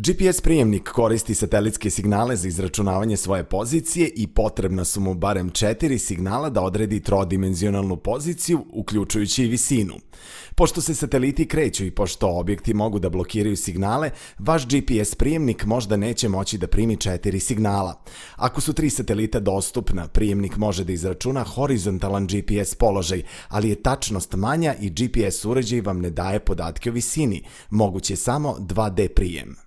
GPS prijemnik koristi satelitske signale za izračunavanje svoje pozicije i potrebna su mu barem 4 signala da odredi trodimenzionalnu poziciju, uključujući i visinu. Pošto se sateliti kreću i pošto objekti mogu da blokiraju signale, vaš GPS prijemnik možda neće moći da primi 4 signala. Ako su 3 satelita dostupna, prijemnik može da izračuna horizontalan GPS položaj, ali je tačnost manja i GPS uređaj vam ne daje podatke o visini, moguće samo 2D prijem.